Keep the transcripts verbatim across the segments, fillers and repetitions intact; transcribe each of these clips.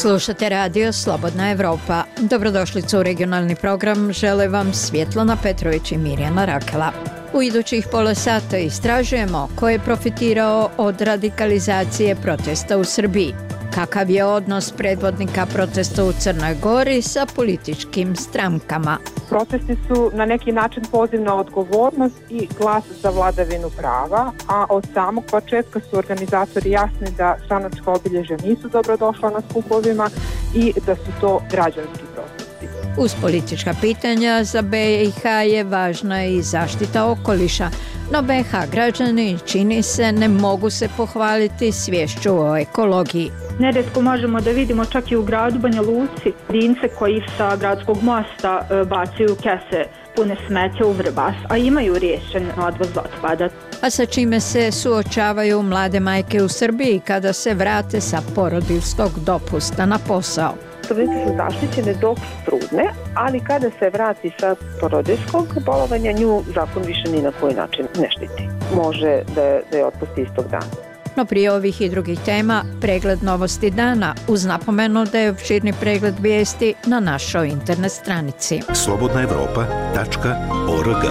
Slušate radio Slobodna Evropa. Dobrodošlicu u regionalni program. Žele vam Svjetlana Petrović i Mirjana Rakela. U idućih pola sata istražujemo ko je profitirao od radikalizacije protesta u Srbiji. Kakav je odnos predvodnika protesta u Crnoj Gori sa političkim strankama? Protesti su na neki način poziv na odgovornost i glas za vladavinu prava, a od samog početka su organizatori jasni da stranačka obilježja nisu dobrodošla na skupovima i da su to građanski protesti. Uz politička pitanja za B i H je važna i zaštita okoliša, no B i H građani, čini se, ne mogu se pohvaliti sviješću o ekologiji. Nerijetko možemo da vidimo čak i u gradu Banja Luci dince koji sa gradskog mosta bacaju kese pune smeća u Vrbas, a imaju riješen odvoz otpada. A sa čime se suočavaju mlade majke u Srbiji kada se vrate sa porodiljskog dopusta na posao? Trudnice su zaštićene dok su trudne, ali kada se vrati sa porodiljskog bolovanja, nju zakon više ni na koji način ne štiti. Može da je, da je otpusti istog dana. No prije ovih i drugih tema, pregled novosti dana uz napomenu da je opširni pregled vijesti na našoj internet stranici. slobodna evropa tačka org.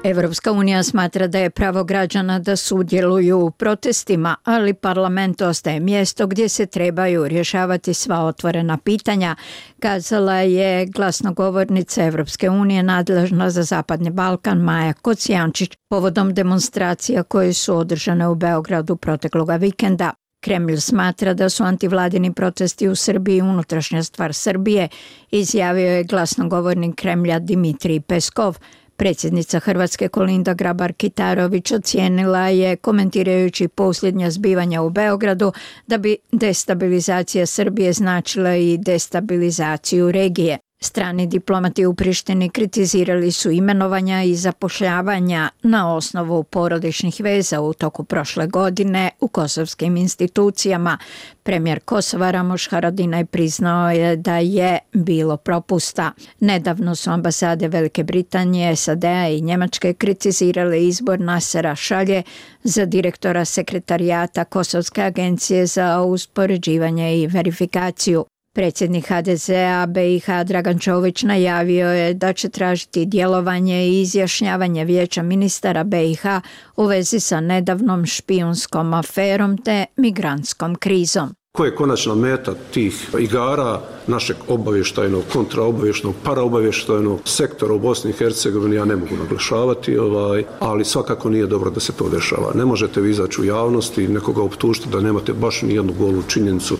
Evropska unija smatra da je pravo građana da sudjeluju u protestima, ali parlament ostaje mjesto gdje se trebaju rješavati sva otvorena pitanja, kazala je glasnogovornica Evropske unije nadležna za Zapadni Balkan Maja Kocijančić povodom demonstracija koje su održane u Beogradu protekloga vikenda. Kremlj smatra da su antivladini protesti u Srbiji unutrašnja stvar Srbije, izjavio je glasnogovornik Kremlja Dimitrij Peskov. Predsjednica Hrvatske Kolinda Grabar-Kitarović ocijenila je, komentirajući posljednja zbivanja u Beogradu, da bi destabilizacija Srbije značila i destabilizaciju regije. Strani diplomati u Prištini kritizirali su imenovanja i zapošljavanja na osnovu porodičnih veza u toku prošle godine u kosovskim institucijama. Premijer Kosova Ramoš Haradinaj priznao je da je bilo propusta. Nedavno su ambasade Velike Britanije, S A D-a i Njemačke kritizirale izbor Nasera Šalje za direktora sekretarijata Kosovske agencije za uspoređivanje i verifikaciju. Predsjednik H D Z-a B i H Dragan Čović najavio je da će tražiti djelovanje i izjašnjavanje Vijeća ministara B i H u vezi sa nedavnom špijunskom aferom te migrantskom krizom. Ko je konačna meta tih igara našeg obavještajnog, kontraobavještajnog, paraobavještajnog sektora u Bosni i Hercegovini, ja ne mogu naglašavati, ovaj, ali svakako nije dobro da se to dešava. Ne možete vi izaći u javnosti i nekoga optužiti da nemate baš ni jednu golu činjenicu.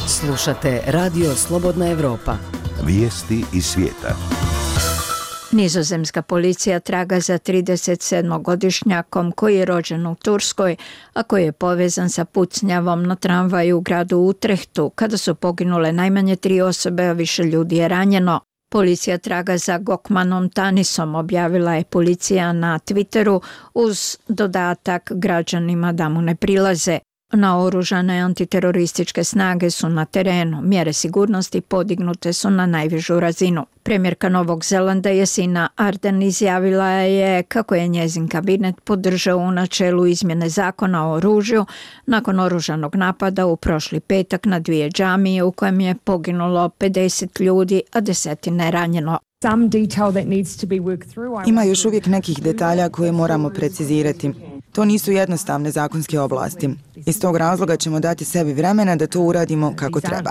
Slušate radio Slobodna Evropa. Vijesti iz svijeta. Nizozemska policija traga za tridesetsedmogodišnjakom koji je rođen u Turskoj, a koji je povezan sa pucnjavom na tramvaju u gradu Utrehtu, kada su poginule najmanje tri osobe, a više ljudi je ranjeno. Policija traga za Gokmanom Tanisom, objavila je policija na Twitteru uz dodatak građanima da mu ne prilaze. Naoružane antiterorističke snage su na terenu, mjere sigurnosti podignute su na najvišu razinu. Premijerka Novog Zelanda Jacinda Ardern izjavila je kako je njezin kabinet podržao u načelu izmjene zakona o oružju nakon oružanog napada u prošli petak na dvije džamije u kojem je poginulo pedeset ljudi, a desetine ranjeno. Ima još uvijek nekih detalja koje moramo precizirati. To nisu jednostavne zakonske oblasti. Iz tog razloga ćemo dati sebi vremena da to uradimo kako treba.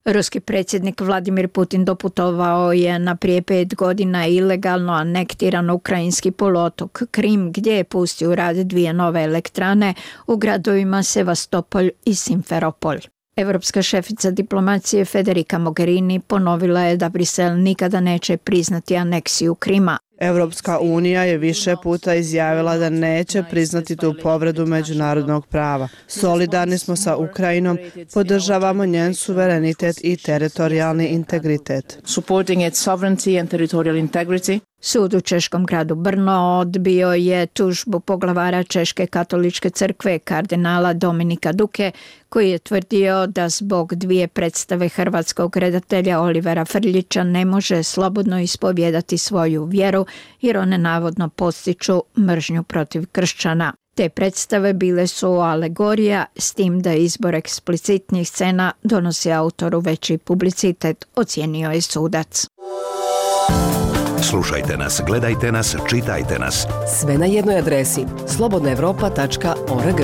Ruski predsjednik Vladimir Putin doputovao je na prije pet godina ilegalno anektiran ukrajinski poluotok Krim, gdje je pustio u rad dvije nove elektrane u gradovima Sevastopol i Simferopol. Evropska šefica diplomacije Federica Mogherini ponovila je da Brisel nikada neće priznati aneksiju Krima. Evropska unija je više puta izjavila da neće priznati tu povredu međunarodnog prava. Solidarni smo sa Ukrajinom, podržavamo njen suverenitet i teritorijalni integritet. Supporting its sovereignty and territorial integrity. Sud u češkom gradu Brno odbio je tužbu poglavara Češke katoličke crkve kardinala Dominika Duke, koji je tvrdio da zbog dvije predstave hrvatskog redatelja Olivera Frljića ne može slobodno ispovijedati svoju vjeru jer one navodno podstiču mržnju protiv kršćana. Te predstave bile su alegorija, s tim da izbor eksplicitnih scena donosi autoru veći publicitet, ocijenio je sudac. Slušajte nas, gledajte nas, čitajte nas. Sve na jednoj adresi slobodna evropa tačka org.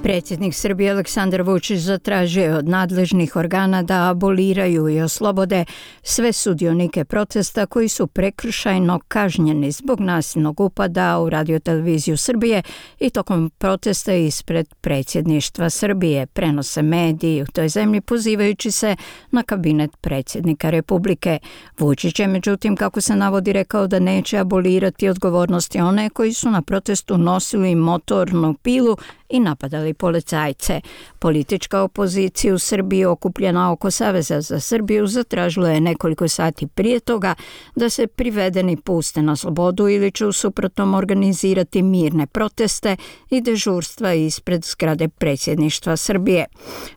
Predsjednik Srbije Aleksandar Vučić zatražio je od nadležnih organa da aboliraju i oslobode sve sudionike protesta koji su prekršajno kažnjeni zbog nasilnog upada u radioteleviziju Srbije i tokom protesta ispred predsjedništva Srbije, prenose mediji u toj zemlji pozivajući se na kabinet predsjednika Republike. Vučić je međutim, kako se navodi, rekao da neće abolirati odgovornosti one koji su na protestu nosili motornu pilu i napadali policajce. Politička opozicija u Srbiji okupljena oko Saveza za Srbiju zatražila je nekoliko sati prije toga da se privedeni puste na slobodu ili će u suprotnom organizirati mirne proteste i dežurstva ispred zgrade predsjedništva Srbije.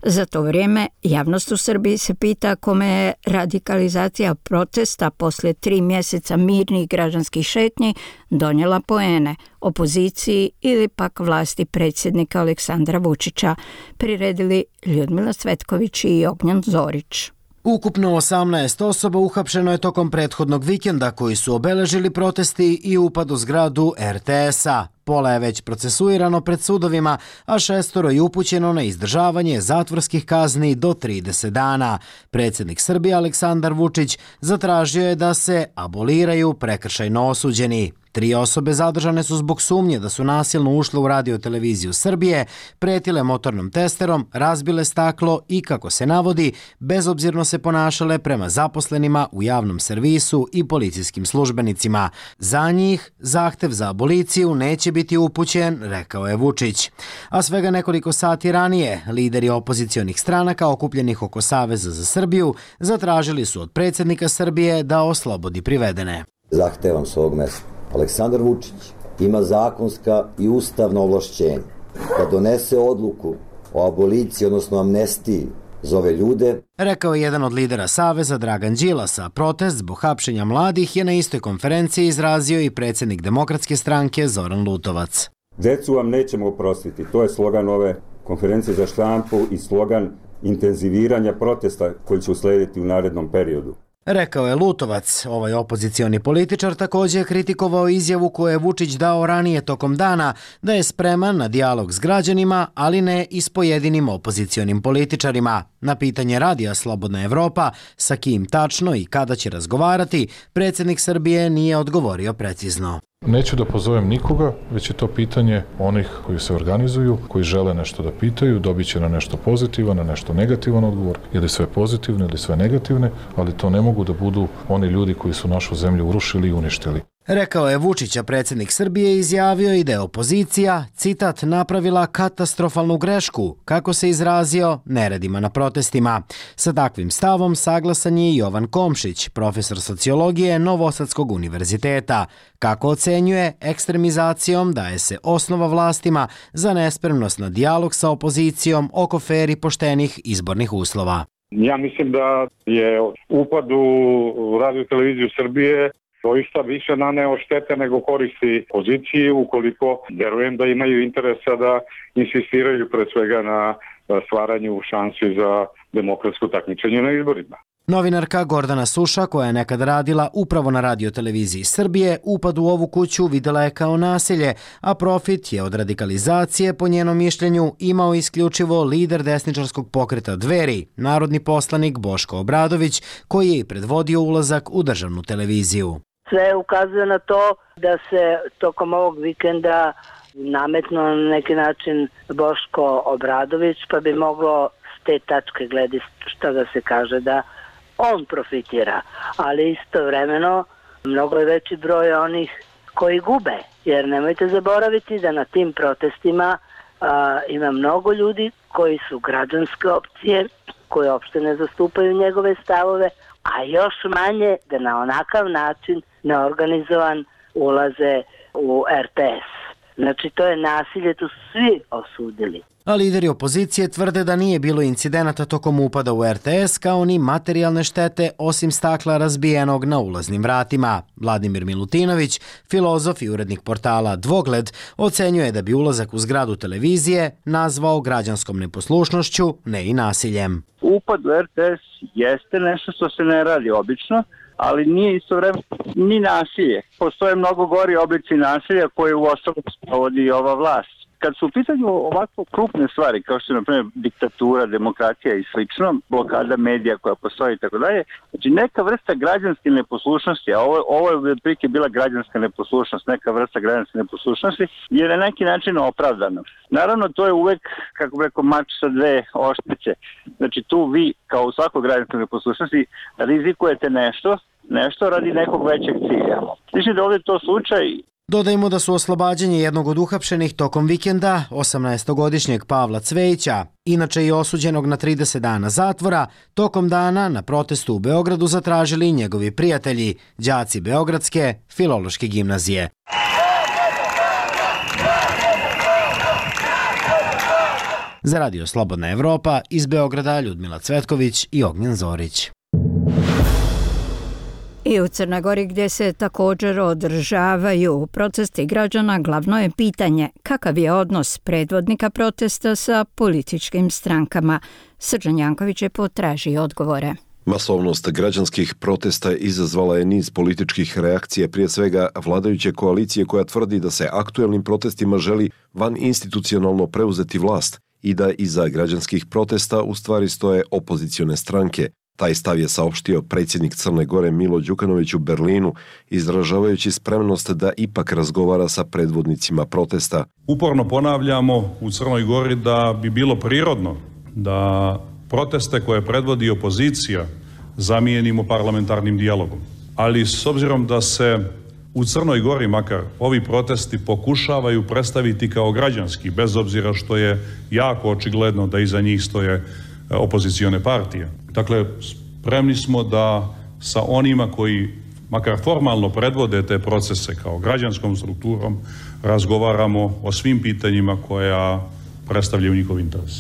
Za to vrijeme javnost u Srbiji se pita kome je radikalizacija protesta poslije tri mjeseca mirnih građanskih šetnji donijela poene, opoziciji ili pak vlasti predsjednika Aleksandra Vučića, priredili Ljudmila Cvetković i Ognjan Zorić. Ukupno osamnaest osoba uhapšeno je tokom prethodnog vikenda koji su obeležili protesti i upad u zgradu er te es-a. Pola je već procesuirano pred sudovima, a šestoro je upućeno na izdržavanje zatvorskih kazni do trideset dana. Predsjednik Srbije Aleksandar Vučić zatražio je da se aboliraju prekršajno osuđeni. Tri osobe zadržane su zbog sumnje da su nasilno ušle u radioteleviziju Srbije, pretile motornom testerom, razbile staklo i, kako se navodi, bezobzirno se ponašale prema zaposlenima u javnom servisu i policijskim službenicima. Za njih zahtev za aboliciju neće biti upućen, rekao je Vučić. A svega nekoliko sati ranije, lideri opozicionih stranaka okupljenih oko Saveza za Srbiju zatražili su od predsjednika Srbije da oslobodi privedene. Zahtevam s ovog mesta. Aleksandar Vučić ima zakonska i ustavna ovlašćenja da donese odluku o aboliciji, odnosno amnestiji za ove ljude. Rekao je jedan od lidera Saveza, Dragan Đilas, a protest zbog hapšenja mladih je na istoj konferenciji izrazio i predsjednik Demokratske stranke Zoran Lutovac. Decu vam nećemo oprostiti, to je slogan ove konferencije za štampu i slogan intenziviranja protesta koji će uslediti u narednom periodu. Rekao je Lutovac. Ovaj opozicioni političar također je kritikovao izjavu koju je Vučić dao ranije tokom dana da je spreman na dijalog s građanima, ali ne i s pojedinim opozicionim političarima. Na pitanje radija Slobodna Evropa sa kim tačno i kada će razgovarati, predsjednik Srbije nije odgovorio precizno. Neću da pozovem nikoga, već je to pitanje onih koji se organizuju, koji žele nešto da pitaju, dobit će na nešto pozitivan, na nešto negativan odgovor, ili sve pozitivne ili sve negativne, ali to ne mogu da budu oni ljudi koji su našu zemlju urušili i uništili. Rekao je Vučić, a predsjednik Srbije izjavio i da je opozicija, citat, napravila katastrofalnu grešku, kako se izrazio, neredima na protestima. Sa takvim stavom saglasan je i Jovan Komšić, profesor sociologije Novosadskog univerziteta. Kako ocenjuje, ekstremizacijom daje se osnova vlastima za nespremnost na dijalog sa opozicijom oko fer i poštenih izbornih uslova. Ja mislim da je upad u radioteleviziju Srbije doista više naneo štete nego koristi poziciji, ukoliko verujem da imaju interesa da insistiraju pre svega na stvaranju šansi za demokratsko takmičenje na izborima. Novinarka Gordana Suša, koja je nekad radila upravo na radioteleviziji Srbije, upad u ovu kuću videla je kao nasilje, a profit je od radikalizacije, po njenom mišljenju, imao isključivo lider desničarskog pokreta Dveri, narodni poslanik Boško Obradović, koji je i predvodio ulazak u državnu televiziju. Sve ukazuje na to da se tokom ovog vikenda nametno na neki način Boško Obradović, pa bi moglo s te tačke gledišta da se kaže da on profitira, ali istovremeno mnogo je veći broj onih koji gube, jer nemojte zaboraviti da na tim protestima a, ima mnogo ljudi koji su građanske opcije, koji uopšte ne zastupaju njegove stavove, a još manje da na onakav način neorganizovan ulaze u er te es. Znači, to je nasilje, to su svi osudili. A lideri opozicije tvrde da nije bilo incidenata tokom upada u R T S kao ni materijalne štete osim stakla razbijenog na ulaznim vratima. Vladimir Milutinović, filozof i urednik portala Dvogled, ocenjuje da bi ulazak u zgradu televizije nazvao građanskom neposlušnošću, ne i nasiljem. Upad u R T S jeste nešto što se ne radi obično, ali nije istovremeno ni nasilje. Postoje mnogo gori oblici nasilja koje u osnovu sprovodi ova vlast. Kad su u pitanju ovako krupne stvari, kao što je na primjer diktatura, demokracija i slično, blokada medija koja postoji i tako dalje, znači neka vrsta građanske neposlušnosti, a ovo, ovo je otprilike bila građanska neposlušnost, neka vrsta građanske neposlušnosti, je na neki način opravdana. Naravno, to je uvek, kako bi rekao, mač sa dve oštrice. Znači tu vi, kao u svakoj građanskoj neposlušnosti, rizikujete nešto, nešto radi nekog većeg cilja. Mislim da ovdje je to slučaj. Dodajmo da su oslobađanje jednog od uhapšenih tokom vikenda, osamnaestogodišnjeg Pavla Cvejića, inače i osuđenog na trideset dana zatvora, tokom dana na protestu u Beogradu zatražili i njegovi prijatelji, đaci Beogradske filološke gimnazije. Za Radio Slobodna Evropa iz Beograda Ljudmila Cvetković i Ognjen Zorić. I u Crnoj Gori gdje se također održavaju protesti građana, glavno je pitanje kakav je odnos predvodnika protesta sa političkim strankama. Srđan Janković je potražio odgovore. Masovnost građanskih protesta izazvala je niz političkih reakcija, prije svega vladajuće koalicije koja tvrdi da se aktuelnim protestima želi van institucionalno preuzeti vlast i da iza građanskih protesta u stvari stoje opozicione stranke. Taj stav je saopštio predsjednik Crne Gore Milo Đukanović u Berlinu, izražavajući spremnost da ipak razgovara sa predvodnicima protesta. Uporno ponavljamo u Crnoj Gori da bi bilo prirodno da proteste koje predvodi opozicija zamijenimo parlamentarnim dijalogom. Ali s obzirom da se u Crnoj Gori makar ovi protesti pokušavaju predstaviti kao građanski, bez obzira što je jako očigledno da iza njih stoje opozicione partije. Dakle, spremni smo da sa onima koji makar formalno predvode te procese kao građanskom strukturom razgovaramo o svim pitanjima koja predstavljaju njihov interes.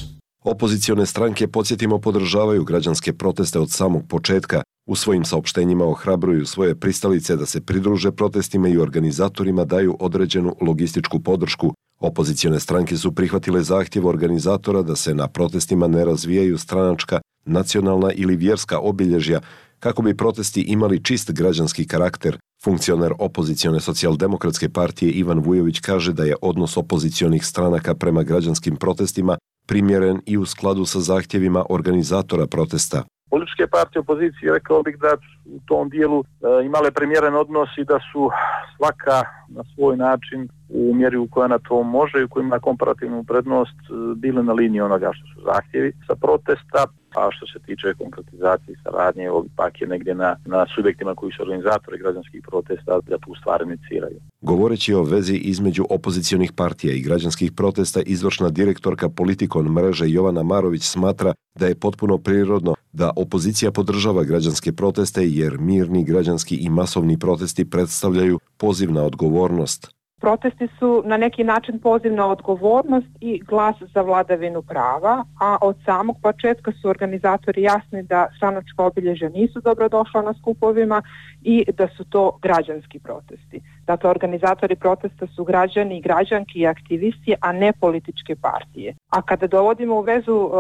Opozicione stranke, podsjetimo, podržavaju građanske proteste od samog početka. U svojim saopštenjima ohrabruju svoje pristalice da se pridruže protestima i organizatorima daju određenu logističku podršku. Opozicione stranke su prihvatile zahtjev organizatora da se na protestima ne razvijaju stranačka, nacionalna ili vjerska obilježja kako bi protesti imali čist građanski karakter. Funkcioner opozicione socijaldemokratske partije Ivan Vujović kaže da je odnos opozicionih stranaka prema građanskim protestima primjeren i u skladu sa zahtjevima organizatora protesta. Političke partije opozicije, rekao bih da u tom dijelu e, imale primjeren odnos i da su svaka na svoj način u mjeri u kojoj na to može i u kojoj ima komparativnu prednost bile na liniji onoga što su zahtjevi sa protesta, a što se tiče konkretizacije i saradnje, ovdje pak je negdje na, na subjektima koji su organizatori građanskih protesta da tu stvar iniciraju. Govoreći o vezi između opozicionih partija i građanskih protesta, izvršna direktorka Politikon mreže Jovana Marović smatra da je potpuno prirodno da opozicija podržava građanske proteste jer mirni građanski i masovni protesti predstavljaju poziv na odgovornost. Protesti su na neki način poziv na odgovornost i glas za vladavinu prava, a od samog početka su organizatori jasni da stranačka obilježja nisu dobrodošla na skupovima i da su to građanski protesti. Dakle, organizatori protesta su građani i građanki i aktivisti, a ne političke partije. A kada dovodimo u vezu uh,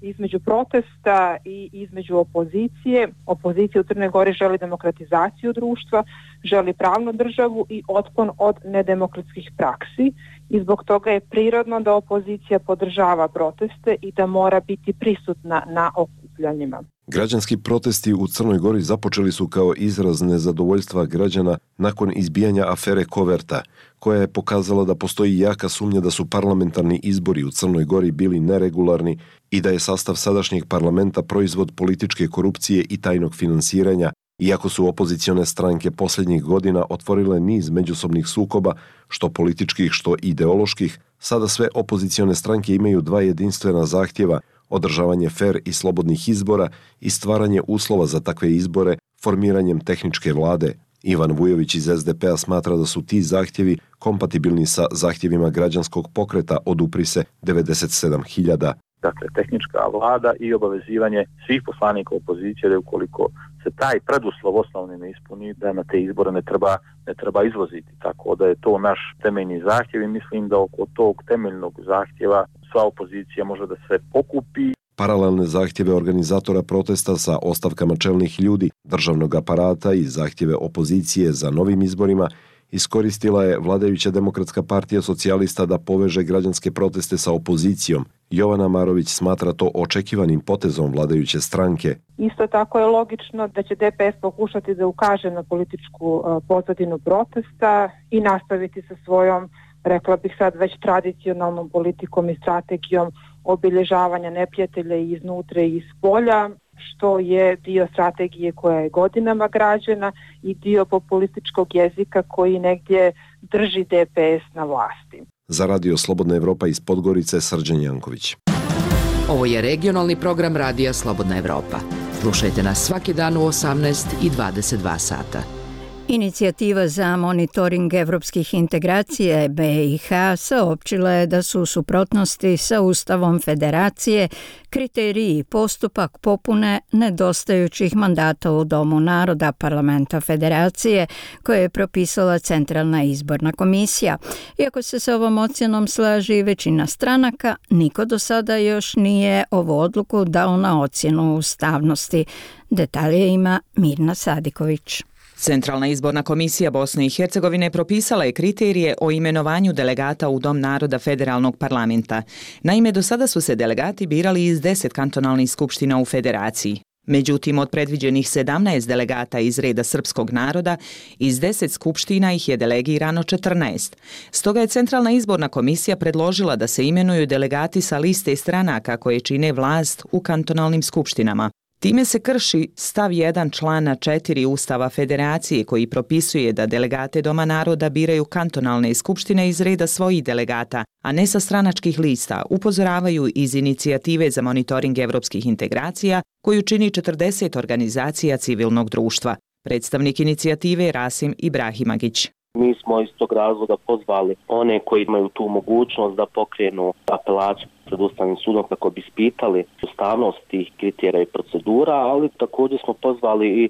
između protesta i između opozicije, opozicija u Crnoj Gori želi demokratizaciju društva, želi pravnu državu i otklon od nedemokratskih praksi i zbog toga je prirodno da opozicija podržava proteste i da mora biti prisutna na okupljanjima. Građanski protesti u Crnoj Gori započeli su kao izraz nezadovoljstva građana nakon izbijanja afere Koverta, koja je pokazala da postoji jaka sumnja da su parlamentarni izbori u Crnoj Gori bili neregularni i da je sastav sadašnjeg parlamenta proizvod političke korupcije i tajnog finansiranja, iako su opozicione stranke posljednjih godina otvorile niz međusobnih sukoba, što političkih, što ideoloških, sada sve opozicione stranke imaju dva jedinstvena zahtjeva: održavanje fer i slobodnih izbora i stvaranje uslova za takve izbore formiranjem tehničke vlade, Ivan Vujović iz es de pe a smatra da su ti zahtjevi kompatibilni sa zahtjevima građanskog pokreta Odupri se devedeset sedam hiljada. Dakle, tehnička vlada i obavezivanje svih poslanika opozicije da ukoliko se taj preduslov osnovni ne ispuni, da na te izbore ne treba, ne treba izvoziti. Tako da je to naš temeljni zahtjev i mislim da oko tog temeljnog zahtjeva sva opozicija može da se okupi. Paralelne zahtjeve organizatora protesta sa ostavkama čelnih ljudi, državnog aparata i zahtjeve opozicije za novim izborima iskoristila je vladajuća Demokratska partija socijalista da poveže građanske proteste sa opozicijom. Jovana Marović smatra to očekivanim potezom vladajuće stranke. Isto tako je logično da će de pe es pokušati da ukaže na političku pozadinu protesta i nastaviti sa svojom, rekla bih sad, već tradicionalnom politikom i strategijom obilježavanja neprijatelja iznutra i iz polja, što je dio strategije koja je godinama građena i dio populističkog jezika koji negdje drži de pe es na vlasti. Za Radio Slobodna Evropa iz Podgorice, Srđan Janković. Ovo je regionalni program Radija Slobodna Evropa. Slušajte nas svaki dan u osamnaest i dvadeset dva sata. Inicijativa za monitoring evropskih integracija be i ha saopćila je da su u suprotnosti sa Ustavom Federacije kriteriji i postupak popune nedostajućih mandata u Domu naroda Parlamenta Federacije koje je propisala Centralna izborna komisija. Iako se sa ovom ocjenom slaži većina stranaka, niko do sada još nije ovu odluku dao na ocjenu ustavnosti. Detalje ima Mirna Sadiković. Centralna izborna komisija Bosne i Hercegovine propisala je kriterije o imenovanju delegata u Dom naroda federalnog parlamenta. Naime, do sada su se delegati birali iz deset kantonalnih skupština u federaciji. Međutim, od predviđenih sedamnaest delegata iz reda srpskog naroda, iz deset skupština ih je delegirano četrnaest. Stoga je Centralna izborna komisija predložila da se imenuju delegati sa liste stranaka koje čine vlast u kantonalnim skupštinama. Time se krši stav jedan člana četiri Ustava Federacije koji propisuje da delegate Doma naroda biraju kantonalne skupštine iz reda svojih delegata, a ne sa stranačkih lista, upozoravaju iz inicijative za monitoring evropskih integracija koju čini četrdeset organizacija civilnog društva. Predstavnik inicijative Rasim Ibrahimagić. Mi smo iz tog razloga pozvali one koji imaju tu mogućnost da pokrenu apelaciju pred Ustavnim sudom kako bi ispitali ustavnost tih kriterija i procedura, ali također smo pozvali i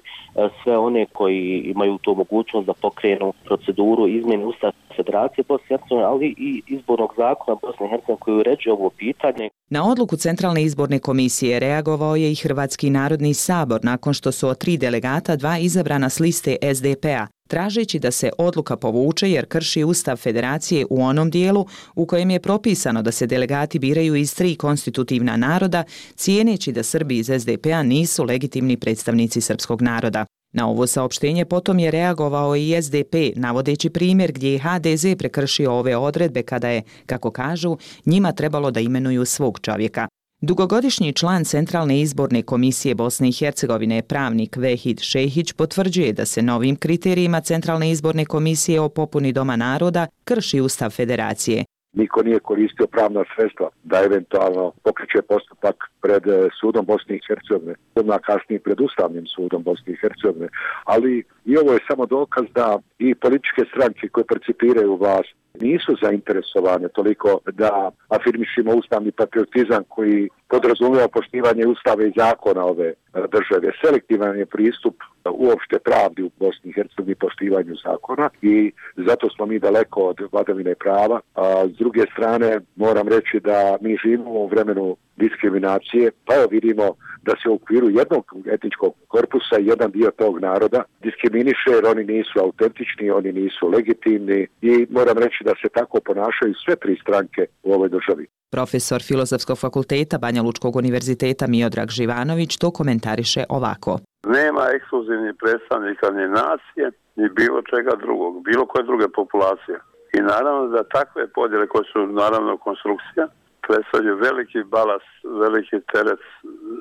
sve one koji imaju tu mogućnost da pokrenu proceduru izmjene Ustava Federacije Bosne i Hercegovine, ali i izbornog zakona Bosne i Hercegovine koji uređuje ovo pitanje. Na odluku Centralne izborne komisije reagovao je i Hrvatski narodni sabor nakon što su od tri delegata dva izabrana s liste es de pe a, tražeći da se odluka povuče jer krši Ustav Federacije u onom dijelu u kojem je propisano da se delegati biraju iz tri konstitutivna naroda, cijeneći da Srbi iz es de pe a nisu legitimni predstavnici srpskog naroda. Na ovo saopštenje potom je reagovao i es de pe, navodeći primjer gdje je ha de ze prekršio ove odredbe kada je, kako kažu, njima trebalo da imenuju svog čovjeka. Dugogodišnji član Centralne izborne komisije Bosne i Hercegovine, pravnik Vehid Šehić, potvrđuje da se novim kriterijima Centralne izborne komisije o popuni Doma naroda krši Ustav Federacije. Niko nije koristio pravna sredstva da eventualno pokreće postupak pred sudom Bosne i Hercegovine, odmah kasnije pred Ustavnim sudom Bosne i Hercegovine, ali i ovo je samo dokaz da i političke stranke koje percipiraju vlast nisu zainteresovane toliko da afirmišimo ustavni patriotizam koji podrazumijeva poštivanje ustava i zakona ove države. Selektivan je pristup uopšte pravdi u Bosni i Hercegovini poštivanju zakona i zato smo mi daleko od vladavine prava. A s druge strane moram reći da mi živimo u vremenu diskriminacije, pa evo vidimo da se u okviru jednog etničkog korpusa jedan dio tog naroda diskriminiše jer oni nisu autentični, oni nisu legitimni i moram reći da se tako ponašaju sve tri stranke u ovoj državi. Profesor Filozofskog fakulteta Banja Lučkog univerziteta Miodrag Živanović to komentariše ovako. Nema ekskluzivnih predstavnika ni nacije, ni bilo čega drugog, bilo koje druge populacije. I naravno da takve podjele koje su naravno konstrukcija predstavljaju veliki balas, veliki teret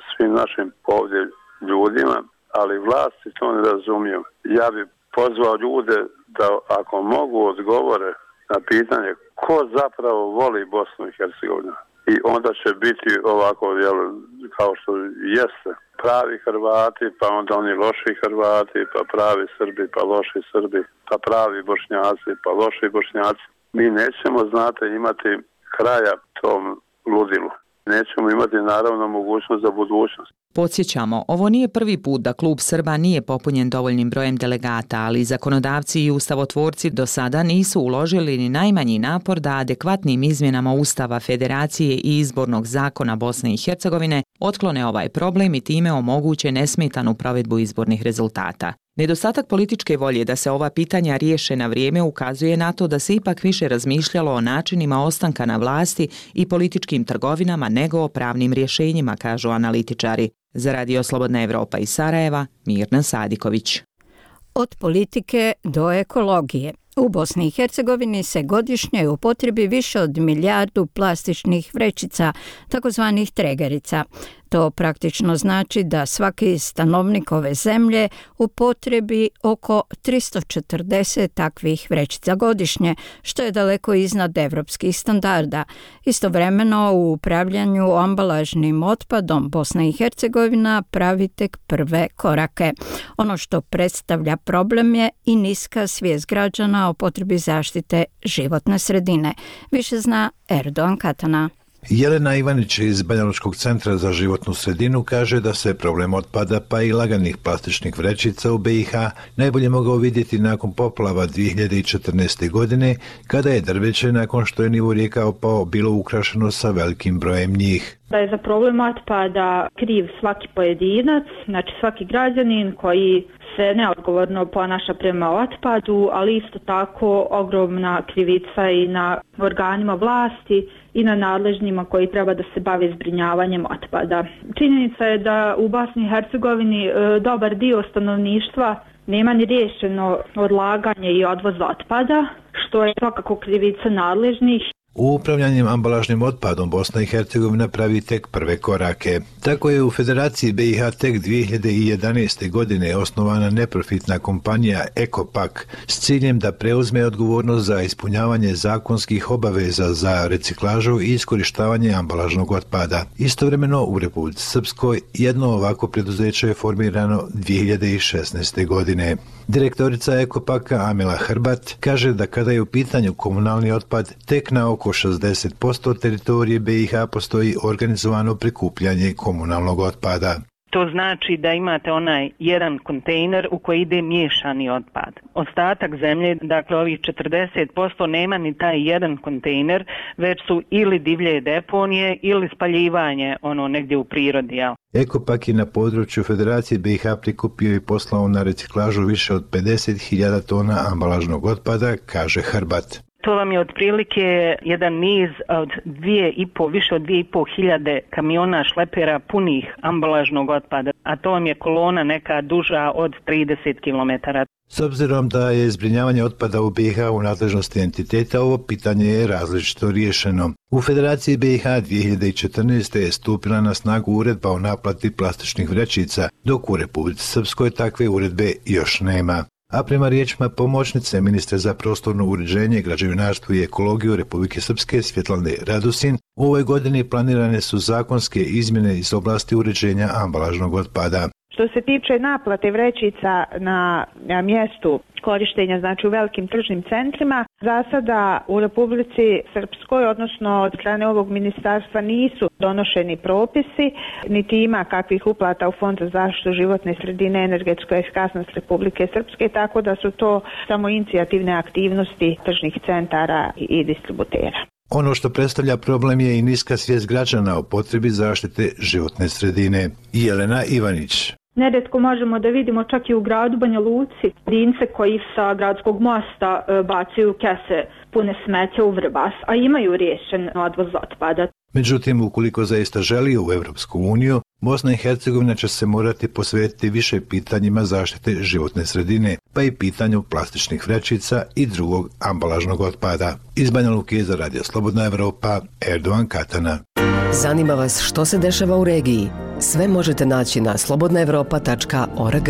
svim našim ovdje ljudima, ali vlasti to ne razumiju. Ja bih pozvao ljude da ako mogu odgovore na pitanje ko zapravo voli Bosnu i Hercegovinu. i onda će biti ovako, jel, kao što jeste, pravi Hrvati, pa onda oni loši Hrvati, pa pravi Srbi, pa loši Srbi, pa pravi Bošnjaci, pa loši Bošnjaci. Mi nećemo, znate, imati kraja tom ludilu. Nećemo imati naravno mogućnost za budućnost. Podsjećamo, ovo nije prvi put da klub Srba nije popunjen dovoljnim brojem delegata, ali zakonodavci i ustavotvorci do sada nisu uložili ni najmanji napor da adekvatnim izmjenama Ustava Federacije i izbornog zakona Bosne i Hercegovine otklone ovaj problem i time omoguće nesmetanu provedbu izbornih rezultata. Nedostatak političke volje da se ova pitanja riješe na vrijeme ukazuje na to da se ipak više razmišljalo o načinima ostanka na vlasti i političkim trgovinama nego o pravnim rješenjima, kažu analitičari. Za Radio Slobodna Evropa iz Sarajeva, Mirna Sadiković. Od politike do ekologije. U Bosni i Hercegovini se godišnje upotrebi više od milijardu plastičnih vrećica, takozvanih tregerica. To praktično znači da svaki stanovnik ove zemlje upotrebi oko tristo četrdeset takvih vrećica godišnje, što je daleko iznad evropskih standarda. Istovremeno u upravljanju ambalažnim otpadom Bosna i Hercegovina pravi tek prve korake. Ono što predstavlja problem je i niska svijest građana o potrebi zaštite životne sredine. Više zna Erdogan Katana. Jelena Ivanić iz Banjalučkog centra za životnu sredinu kaže da se problem otpada pa i laganih plastičnih vrećica u B i H najbolje mogao vidjeti nakon poplava dvije hiljade četrnaeste. godine, kada je drveće nakon što je nivo rijeka opao bilo ukrašeno sa velikim brojem njih. Da je za problem otpada kriv svaki pojedinac, znači svaki građanin koji se neodgovorno ponaša prema otpadu, ali isto tako ogromna krivica i na organima vlasti i na nadležnjima koji treba da se bave zbrinjavanjem otpada. Činjenica je da u Bosni i Hercegovini e, dobar dio stanovništva nema ni riješeno odlaganje i odvoz otpada, što je svakako krivica nadležnih. U upravljanjem ambalažnim otpadom Bosna i Hercegovina pravi tek prve korake. Tako je u Federaciji B i H tek dvije hiljade jedanaeste. godine osnovana neprofitna kompanija Ekopak s ciljem da preuzme odgovornost za ispunjavanje zakonskih obaveza za reciklažu i iskorištavanje ambalažnog otpada. Istovremeno u Republici Srpskoj jedno ovako preduzeće je formirano dvije hiljade šesnaeste. godine. Direktorica Ekopaka Amila Hrbat kaže da kada je u pitanju komunalni otpad, tek na oko šezdeset posto teritorije B i H postoji organizovano prikupljanje komunalnog otpada. To znači da imate onaj jedan kontejner u koji ide miješani otpad. Ostatak zemlje, dakle ovih četrdeset posto nema ni taj jedan kontejner, već su ili divlje deponije ili spaljivanje ono negdje u prirodi. Jel? Ekopak je na području Federacije B i H prikupio i poslao na reciklažu više od pedeset hiljada tona ambalažnog otpada, kaže Hrbat. To vam je otprilike jedan niz od dvije i po, više od dvije i po hiljade kamiona šlepera punih ambalažnog otpada, a to vam je kolona neka duža od trideset kilometara. S obzirom da je zbrinjavanje otpada u B i H u nadležnosti entiteta, ovo pitanje je različito riješeno. U Federaciji B i H dvije hiljade četrnaeste. je stupila na snagu uredba o naplati plastičnih vrećica, dok u Republici Srpskoj takve uredbe još nema. A prema riječima pomoćnice ministra za prostorno uređenje, građevinarstvo i ekologiju Republike Srpske Svjetlane Radusin, u ovoj godini planirane su zakonske izmjene iz oblasti uređenja ambalažnog otpada. Što se tiče naplate vrećica na, na mjestu korištenja, znači u velikim tržnim centrima, za sada u Republici Srpskoj, odnosno od strane ovog ministarstva, nisu donošeni propisi, niti ima kakvih uplata u Fond za zaštitu životne sredine, energetsku efikasnost Republike Srpske, tako da su to samo inicijativne aktivnosti tržnih centara i distributera. Ono što predstavlja problem je i niska svijest građana o potrebi zaštite životne sredine. Jelena Ivanić. Neretko možemo da vidimo čak i u gradu Banja Luci dince koji sa gradskog mosta bacaju kese pune smeća u Vrbas, a imaju riješen odvoz otpada. Međutim, ukoliko zaista želi u Evropsku uniju, Bosna i Hercegovina će se morati posvetiti više pitanjima zaštite životne sredine, pa i pitanju plastičnih vrećica i drugog ambalažnog otpada. Iz Banja Luke za Radio Slobodna Evropa, Erdogan Katana. Zanima vas što se dešava u regiji? Sve možete naći na slobodna evropa tačka org.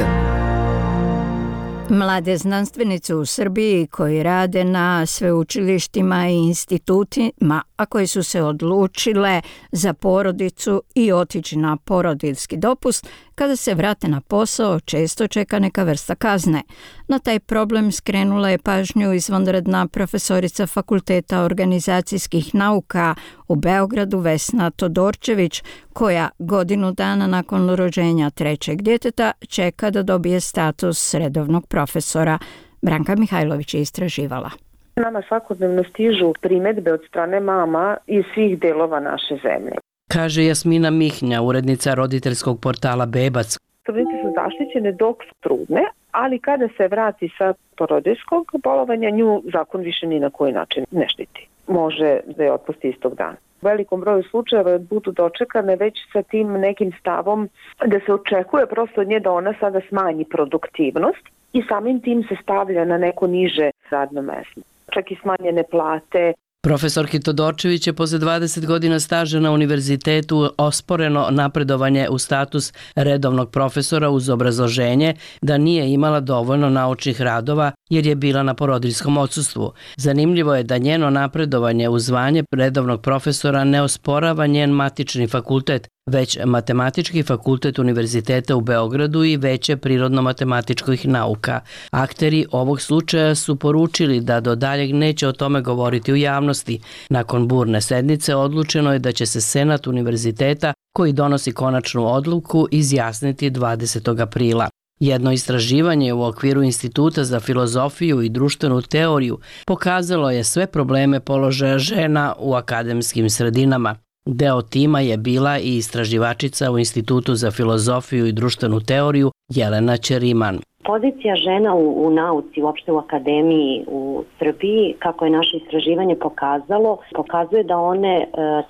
Mlade znanstvenice u Srbiji koji rade na sveučilištima i institutima, a koje su se odlučile za porodicu i otići na porodiljski dopust, kada se vrate na posao često čeka neka vrsta kazne. Na taj problem skrenula je pažnju izvanredna profesorica Fakulteta organizacijskih nauka u Beogradu Vesna Todorčević, koja godinu dana nakon rođenja trećeg djeteta čeka da dobije status redovnog profesora. Branka Mihajlović je istraživala. Nama svakodnevno stižu primedbe od strane mama iz svih delova naše zemlje. Kaže Jasmina Mihnja, urednica roditeljskog portala Bebac. Trudnice su zaštićene dok su trudne, ali kada se vrati sa porodiljskog bolovanja, nju zakon više ni na koji način ne štiti. Može da je otpusti istog dana. U velikom broju slučajeva budu dočekane već sa tim nekim stavom da se očekuje prosto od nje da ona sada smanji produktivnost i samim tim se stavlja na neko niže radno mesto. Čak i smanjene plate. Profesorki Todorčević je posle dvadeset godina staža na univerzitetu osporeno napredovanje u status redovnog profesora uz obrazloženje da nije imala dovoljno naučnih radova jer je bila na porodiljskom odsustvu. Zanimljivo je da njeno napredovanje u zvanje redovnog profesora ne osporava njen matični fakultet, već Matematički fakultet Univerziteta u Beogradu i Veće prirodno-matematičkih nauka. Akteri ovog slučaja su poručili da do daljeg neće o tome govoriti u javnosti. Nakon burne sednice odlučeno je da će se Senat univerziteta, koji donosi konačnu odluku, izjasniti dvadesetog aprila. Jedno istraživanje u okviru Instituta za filozofiju i društvenu teoriju pokazalo je sve probleme položaja žena u akademskim sredinama. Deo tima je bila i istraživačica u Institutu za filozofiju i društvenu teoriju Jelena Ćeriman. Pozicija žena u, u nauci, uopšte u akademiji u Srbiji, kako je naše istraživanje pokazalo, pokazuje da one e,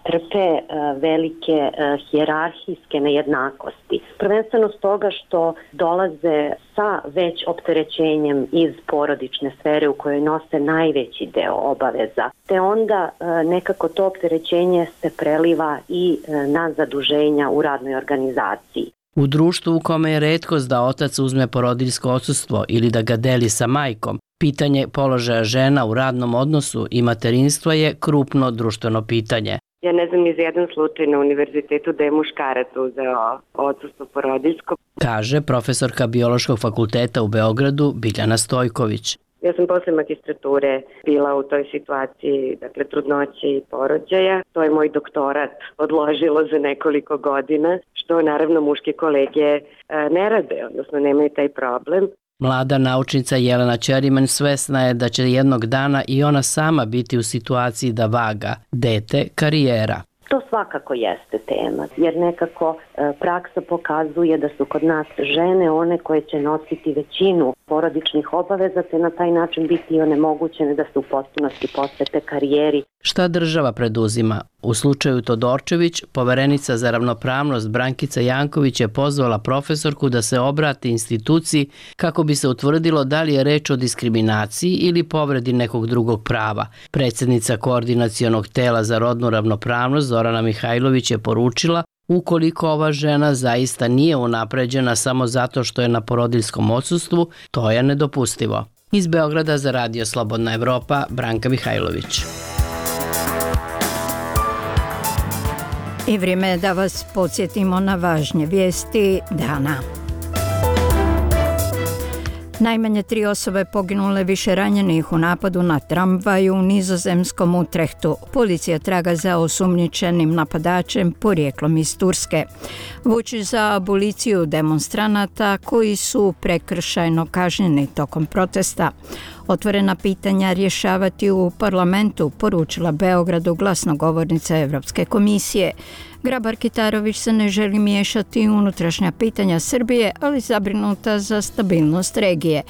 trpe e, velike e, hijerarhijske nejednakosti. Prvenstveno stoga što dolaze sa već opterećenjem iz porodične sfere u kojoj nose najveći deo obaveza. Te onda e, nekako to opterećenje se preliva i e, na zaduženja u radnoj organizaciji. U društvu u kome je retkost da otac uzme porodiljsko odsustvo ili da ga deli sa majkom, pitanje položaja žena u radnom odnosu i materinstva je krupno društveno pitanje. Ja ne znam ni za jedan slučaj na univerzitetu da je muškarac uzeo odsustvo porodiljsko. Kaže profesorka Biološkog fakulteta u Beogradu Biljana Stojković. Ja sam posle magistrature bila u toj situaciji, dakle, trudnoće i porođaja. To je moj doktorat odložilo za nekoliko godina, što naravno muške kolege ne rade, odnosno nemaju taj problem. Mlada naučnica Jelena Ćeriman svesna je da će jednog dana i ona sama biti u situaciji da vaga dete, karijera. To svakako jeste tema, jer nekako e, praksa pokazuje da su kod nas žene one koje će nositi većinu porodičnih obaveza, te na taj način biti onemogućene da se u potpunosti posvete karijeri. Šta država preduzima? U slučaju Todorčević, poverenica za ravnopravnost Brankica Janković je pozvala profesorku da se obrati instituciji kako bi se utvrdilo da li je reč o diskriminaciji ili povredi nekog drugog prava. Predsjednica Koordinacionog tela za rodnu ravnopravnost Zorana Mihajlović je poručila ukoliko ova žena zaista nije unapređena samo zato što je na porodiljskom odsustvu, to je nedopustivo. Iz Beograda za Radio Slobodna Evropa, Branka Mihajlović. I vrijeme je da vas podsjetimo na važnje vijesti dana. Najmanje tri osobe poginule, više ranjenih u napadu na tramvaj u nizozemskom Utrehtu. Policija traga za osumnjičenim napadačem porijeklom iz Turske. Vučić za aboliciju demonstranata koji su prekršajno kažnjeni tokom protesta. Otvorena pitanja rješavati u parlamentu, poručila Beogradu glasnogovornica Evropske komisije. Grabar-Kitarović se ne želi miješati u unutrašnja pitanja Srbije, ali zabrinuta za stabilnost regije.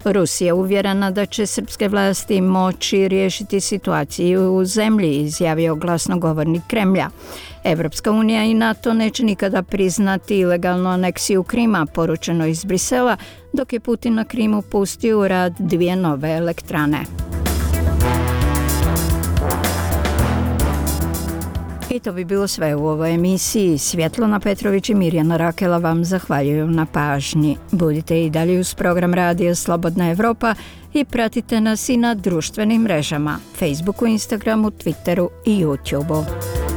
Rusija uvjerena da će srpske vlasti moći riješiti situaciju u zemlji, izjavio glasnogovornik Kremlja. Evropska unija i NATO neće nikada priznati ilegalnu aneksiju Krima, poručeno iz Brisela, dok je Putin na Krimu pustio u rad dvije nove elektrane. I to bi bilo sve u ovoj emisiji. Svjetlana Petrović i Mirjana Rakela vam zahvaljuju na pažnji. Budite i dalje uz program Radija Slobodna Evropa i pratite nas i na društvenim mrežama, Facebooku, Instagramu, Twitteru i YouTubeu.